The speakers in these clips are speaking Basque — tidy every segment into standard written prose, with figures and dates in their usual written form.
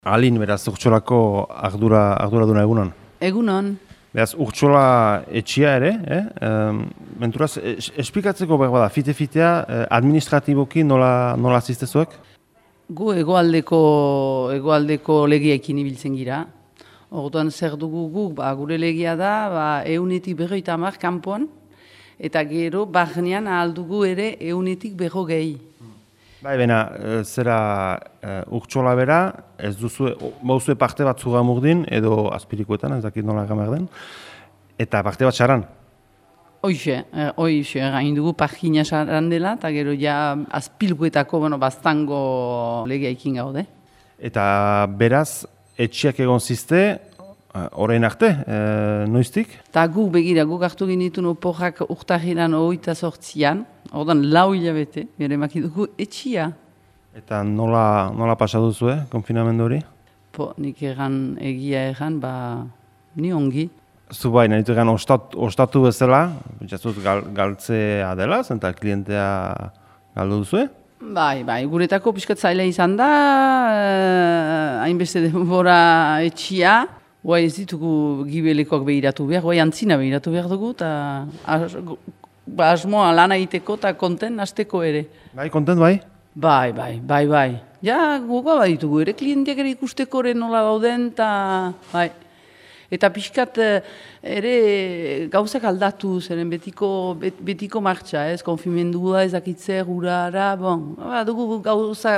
Alin, beraz, Urtxolako arduraduna egunon. Egunon. Beraz, Urtxola etxia ere, menturaz, esplikatzeko behar bada, fite-fitea, administratiboki nola ziztezuek? Gu egoaldeko legiaekin ibiltzen gira. Orduan zer dugu guk, gure legia da, 150 kanpoan, eta gero barnean ahal dugu ere 150. Bai, bena, zera Urtxola bera, ez duzue, bauzue parte bat zugamurdin, edo azpirikoetan, ez dakit nola gamer den, eta parte bat xaran. Hoixe, gain dugu pagina xaran dela, eta gero ja azpilkuetako, bastango legiaikin gaude. Eta beraz, etxiak egon zizte, orain arte, noiztik? Eta guk hartu ginitun oporrak urtahiran 28an, ordan 4 hilabete, gero emaki dugu etxia. Eta nola pasa duzue, konfinamendu hori? Nik egia egan, ni ongi. Zu bai, nahitu egan ostatu bezala, jatzut galtzea dela, zenta klientea galdu duzue? Bai, guretako pixkat zaila izan da, hainbeste denbora etxia, guai ez ditugu gibelekoak behiratu behar, guai antzina behiratu behar dugu, eta asmoa lana egiteko eta konten hasteko ere. Bai, konten bai? Bai. Ja, guga baditugu ere, klienteak ere ikusteko ere nola dauden, eta bai. Eta pixkat ere gauzak aldatu, zeren betiko martxa, konfimendua, ezakitzer, urara, dugu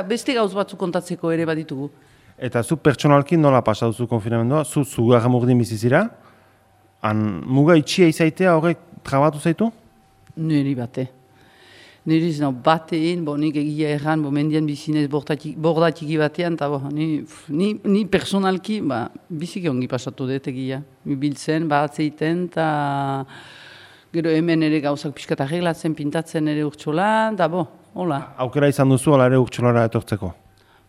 beste gauz batzuk kontatzeko ere baditugu. Eta zu pertsonalki nola pasa duzu konfinamendua? Zu zugarramurdin bizizira? Muga itxia izaitea horrek trabatu zaitu? Niri bate. Niri zena batein, nik egia erran, mendian bizinez bordatiki batean, eta ni personalki biziki ongi pasatu dut egia. Biltzen, atzeiten, eta gero hemen ere gauzak pixkat arreglatzen, pintatzen ere Urtxolan, eta hola. Aukera izan duzu, ala ere Urtxolara etortzeko?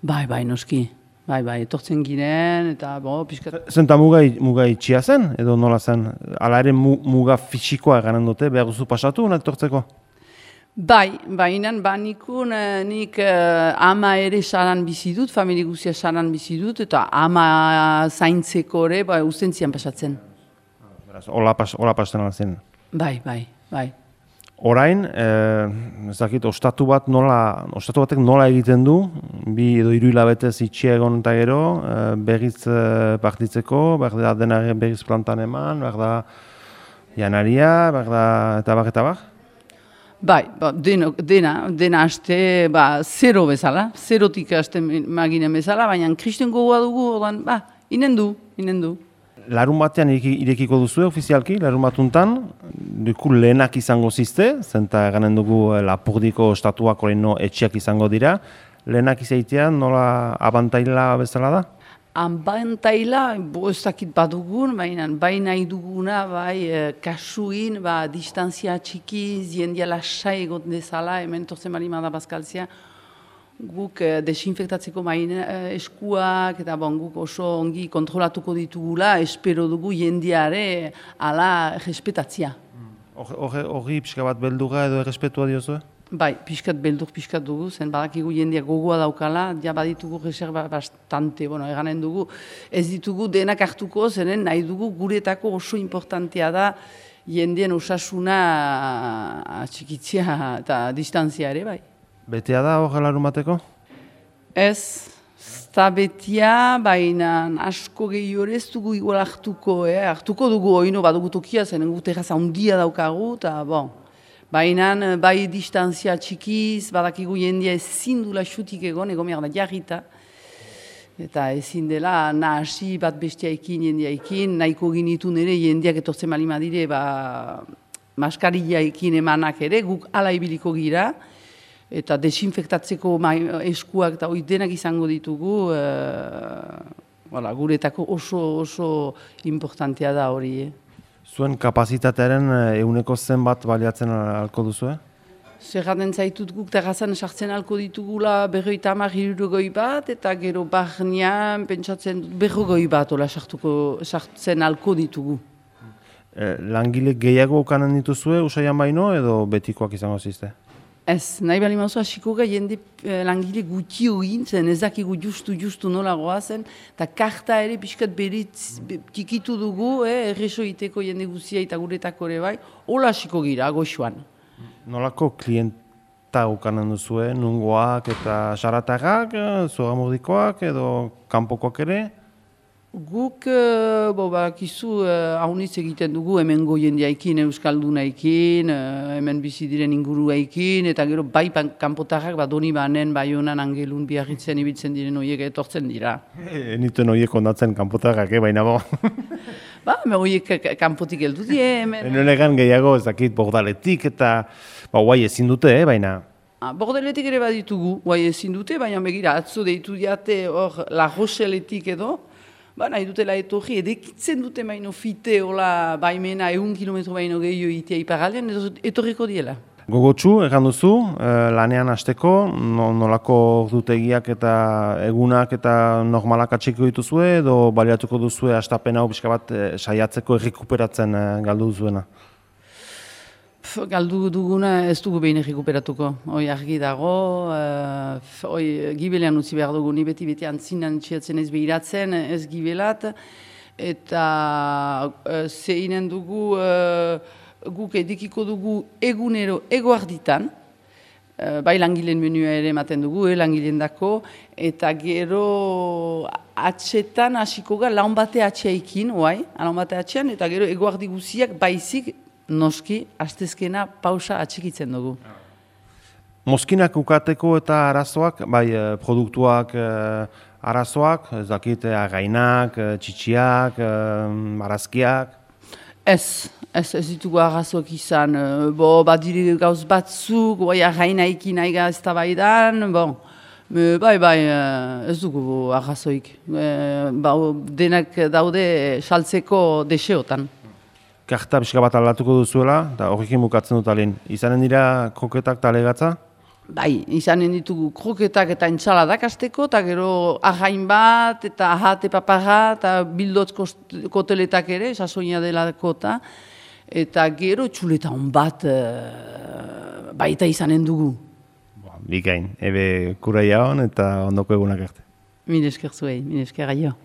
Bai, noski. Bai, etortzen ginen, eta pixkat... Zenta muga itxia zen, edo nola zen? Ala ere muga fisikoa eganen dute, behar duzu pasatu, etortzeko? Bai, nik ama ere saran bizi dut, familie guzia saran bizi dut, eta ama zaintzeko ere, ustentzian pasatzen. Hola pasten alzen? Bai. Orain, ez dakit, ostatu batek nola egiten du, 2 edo 3 hilabetez itxia egon eta gero, berriz partitzeko, behar da dena berriz plantan eman, behar da janaria, behar da eta bar? Bai, dena haste, zero bezala, zerotik haste maginen bezala, baina kristen gogoa dugu, inen du. Larun batean irekiko duzu ofizialki, larun batuntan, duku lehenak izango zizte, zenta eganen dugu Lapurdiko estatuak oraino etxiak izango dira, lehenak izaitean nola abantaila bezala da? Abantaila, ez dakit badugun, bai nahi duguna, kasuin, distantzia txikiz, jendia lasai egot dezala, hemen torzen balimada bazkaltzea, guk desinfektatzeko eskuak, eta guk oso ongi kontrolatuko ditugula, espero dugu jendiare ala respetatzia. Horri pixka bat beldurra edo errespetua diozue? Bai, piskat dugu, zen badakigu jendia gogoa daukala, ja baditugu reserva bastante, eganen dugu, ez ditugu denak hartuko, zenen nahi dugu guretako oso importantea da jendien osasuna atxikitzia eta distantzia ere, bai. Betea da hor larun bateko? Ez da betea, baina asko gehiago ez dugu igual hartuko dugu oino badugu tokia, zenen gu terraza handia daukagu, eta baina bai distantzia txikiz, badakigu jendia ezin dula xutik egon da jarrita. Eta ezin dela nahasi bat bestiaekin, jendiaekin, nahiko ginitun ere jendiak etortzen malima dire, maskariaekin emanak ere, guk ala ibiliko gira, eta desinfektatzeko eskuak eta denak izango ditugu, guretako oso importantea da hori. Zuen kapazitatearen euneko zenbat baliatzen alko duzu? Zerraten zaitut guk terrazan sartzen alko ditugula 50-60 bat, eta gero barnean pentsatzen 40 bat sartzen alko ditugu. Langile gehiago okanen dituzue usaian baino edo betikoak izango zizte? Ez, nahi bali mauzu hasiko jende langile gutxi egin zen, ez dakigu justu nola goazen, eta karta ere pixkat beritz tikitu dugu, erreso iteko jende guzia eta guretako ere bai, hola hasiko gira, goxuan. Nolako klienta ukanen duzue, nungoak eta xaratarrak, zoramurdikoak edo kanpokoak ere? Guk, bakizu, haunitz egiten dugu hemengo jendeaikin, euskaldunaekin, hemen bizi diren inguruaikin, eta gero bai kanpotarrak, doni banen, bai honan angelun biarritzen ibiltzen diren horiek etortzen dira. Nituen horiek ondatzen kanpotarrak, baina bo. Horiek kanpotik heldu die, hemen. Enolegan gehiago, ez dakit, bordaletik eta guai ezin dute, baina... Bordeletik ere baditugu, guai ezin dute, baina begira, atzo deitu diate hor La Rocheletik edo, nahi dutela etorri, edekitzen dute baino fite, hola, baimena, 1 kilometro baino gehiago itea iparaldean, etorriko diela. Gogotsu, egan duzu, lanean hasteko, nolako ordutegiak eta egunak eta normalak atxeko dituzue, edo baliatuko duzue hastapen hau pixka bat saiatzeko errekuperatzen galdu duzuena? Galdu duguna ez dugu behin errekuperatuko. Hoi argi dago, gibelean utzi behar dugu, ni beti antzinan txiatzen ez behiratzen, ez gibelat, eta zeinen dugu, guk edikiko dugu egunero egoarditan, bai langileen menua ere ematen dugu, langileen dako, eta gero atxetan hasiko ga laun bate atxeaikin, laun bate atxean, eta gero egoardi guziak baizik, noski, astezkena pausa atxikitzen dugu. Mozkinak ukateko eta arazoak, bai produktuak arazoak, ez dakit, againak, txitsiak, marazkiak? Ez ditugu arazoak izan. Badire gauz batzuk, againaikin aiga ez da baidan, ez dugu arazoik. Denak daude saltzeko deseotan. Karta pixka bat aldatuko duzuela, eta horrekin bukatzen dut alin. Izanen dira kroketak eta legatza? Bai, izanen ditugu kroketak eta entzaladak azteko, eta gero again bat, eta ahate paparra, eta bildotz koteletak ere, sasoina delako eta gero txuleta hon bat baita izanen dugu. Bikain, ebe kuraia hon eta ondoko egunak arte. Mil esker zuei, mil esker aio.